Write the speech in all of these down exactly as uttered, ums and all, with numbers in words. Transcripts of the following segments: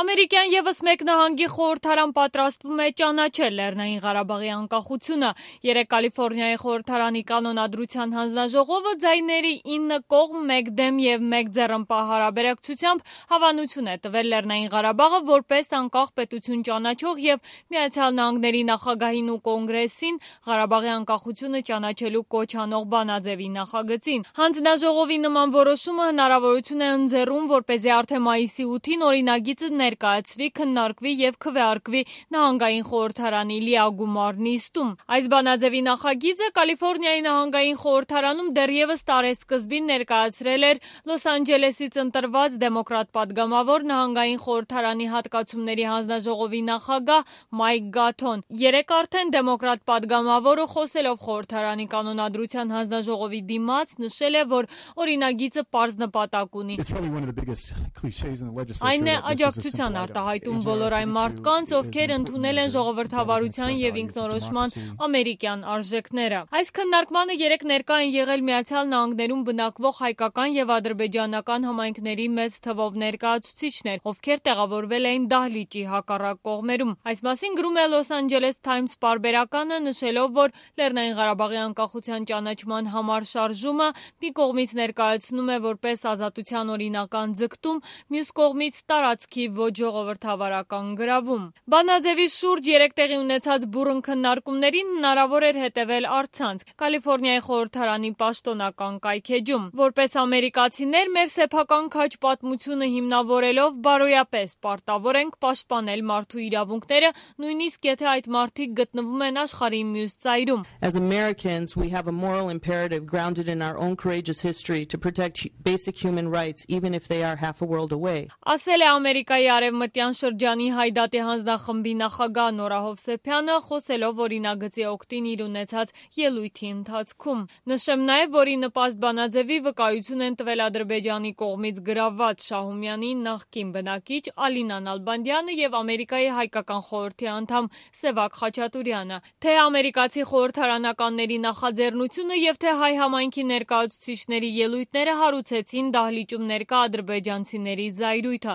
Ամերիկյան ևս մեկ նահանգի խորհրդարան պատրաստվում է ճանաչել Լեռնային Ղարաբաղի անկախությունը։ Երեկ Կալիֆոռնիայի խորհրդարանի կանոնադրության հանձնաժողովը ձայների ինը կողմ, մեկ դեմ եւ մեկ ձեռնպահ հարաբերակցությամբ հավանություն է տվել Լեռնային Ղարաբաղը որպես անկախ պետություն ճանաչող եւ Միացյալ Նահանգների նախագահին ու կոնգրեսին Ղարաբաղի անկախությունը ճանաչելու կոչ անող բանաձևի նախագծին։ Հանձնաժողովի նման որոշումը հնարավորություն է ընձեռում, որպեսզի արդեն մայիսի ութին օրինագիծը ներկայացվի, քննարկվի եւ քվեարկվի նահանգային խորհրդարանի լիագումար նիստում։ Այս բանաձևի նախագիծը Կալիֆոռնիայի նահանգային խորհրդարանում դեռևս տարեսկզբին ներկայացրել էր Լոս Անջելեսից ընտրված դեմոկրատ падգամավոր նահանգային խորհրդարանի հատկացումների հանձնաժողովի նախագահ Մայք Գաթոն։ Երեկ արդեն դեմոկրատ падգամավորը խոսելով խորհրդարանի կանոնադրության հանձնաժողովի դիմաց նշել է, որ օրինագիծը պարզ նպատակ ունի։ Այն է աջակցության արտահայտում բոլոր այն մարդկանց, ովքեր ընդունել են ժողովրդավարության եւ ինքնորոշման ամերիկյան արժեքները։ Այս քննարկմանը երեք ներկա են եղել Միացյալ Նահանգներում բնակվող հայկական եւ ադրբեջանական համայնքների մեծ թվով ներկայացուցիչներ, ովքեր տեղավորվել էին դահլիճի հակառակ կողմերում։ Այս մասին գրում է Los Angeles Times պարբերականը, նշելով, որ Լեռնային Ղարաբաղի անկախության ճանաչման համար շարժումը մի կողմից ներկայացնում է որպես ազատության օրինական ձգտում, մյուս կողմից տարածքի ոչ ժողովրդավարական գրավում։ Բանաձևի շուրջ երեք տեղի ունեցած բուռն քննարկումներին հնարավոր էր հետևել առցանց Կալիֆոռնիայի խորհրդարանի պաշտոնական կայքէջում։ Որպես ամերիկացիներ մեր սեփական քաջ պատմությունը հիմնավորելով բարոյապես պարտավոր ենք պաշտպանել մարդու իրավունքները, նույնիսկ եթե այդ մարդիկ գտնվում են աշխարհի մյուս ծայրում։ As Americans, we have a moral imperative grounded in our own courageous history to protect basic human rights even if they are half a world away. Ասել է Ամերիկայի արևմտյան շրջանի Հայդատի հանձնախմբի նախագահ Նորա Հովսեփյանը, խոսելով օրինագծի օգտին իր ունեցած ելույթի ընթացքում։ Նշեմ նաև, որ ի նպաստ բանաձևի վկայություն են տվել Ադրբեջանի կողմից գրավված Շահումյանի նախկին բնակիչ Ալինա Նալբանդյանը եւ Ամերիկայի հայկական խորհրդի անդամ Սևակ Խաչատուրյանը։ Թե ամերիկացի խորհրդարանականների նախաձեռնությունը եւ թե հայ համայնքի ներկայացուցիչների ելույթները հարուցեցին դահլիճում ներկա ադրբեջանցիների զայրույթը։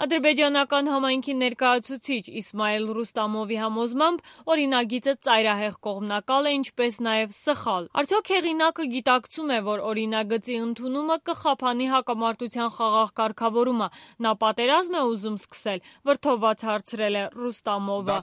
Ադրբեջանական համայնքի ներկայացուցիչ Իսմայել Ռուստամովի համոզմամբ օրինագիծը ծայրահեղ կողմնակալ է, ինչպես նաև սխալ։ Արդյոք հեղինակը գիտակցում է, որ օրինագծի ընդունումը կխափանի հակամարտության խաղաղ կարգավորումը։ Նա պատերազմ է ուզում սկսել, վրդովված հարցրել է Ռուստամովը։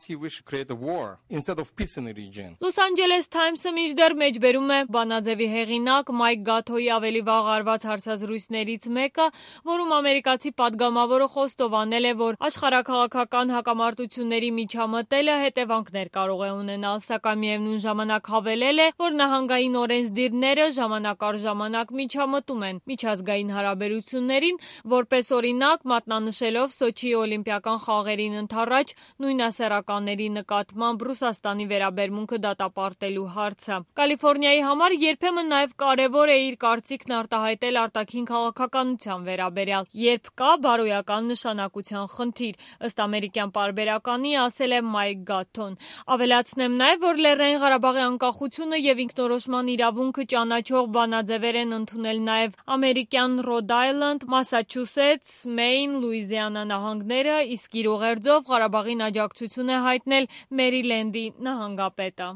Los Angeles Times-ը մինչդեռ մեջբերում է բանաձևի հեղինակ Մայք Գաթոյի ավելի վաղ արված հարցազրույցներից մեկը, որում ամերիկացի падգամավորը խոստովանել է, որ աշխարհաքաղաքական հակամարտությունների միջամտելը հետևանքներ կարող է ունենալ, սակայն միևնույն ժամանակ հավելել է, որ նահանգային օրենսդիրները ժամանակ առ ժամանակ միջամտում են միջազգային հարաբերություններին, որպես օրինակ մատնանշելով Սոչիի օլիմպիական խաղերին ընդառաջ նույնասեռականների նկատմամբ Ռուսաստանի վերաբերմունքը դատապարտելու հարցը։ Կալիֆոռնիայի համար երբեմն նաև կարևոր է իր կարծիքն արտահայտել արտաքին քաղաքականության վերաբերյալ, երբ կա բարոյական նշանակության խնդիր, ըստ ամերիկյան պարբերականի ասել է Մայք Գաթոն։ Ավելացնեմ նաև, որ Լեռնային Ղարաբաղի անկախությունը եւ ինքնորոշման իրավունքը ճանաչող բանաձևեր են ընդունել նաև ամերիկյան Ռոդ Այլանդ, Մասաչուսեթս, Մեյն, Լուիզիանա նահանգները, իսկ իր ուղերձով Ղարաբաղին աջակցություն է հայտնել Մերիլենդի նահանգապետը։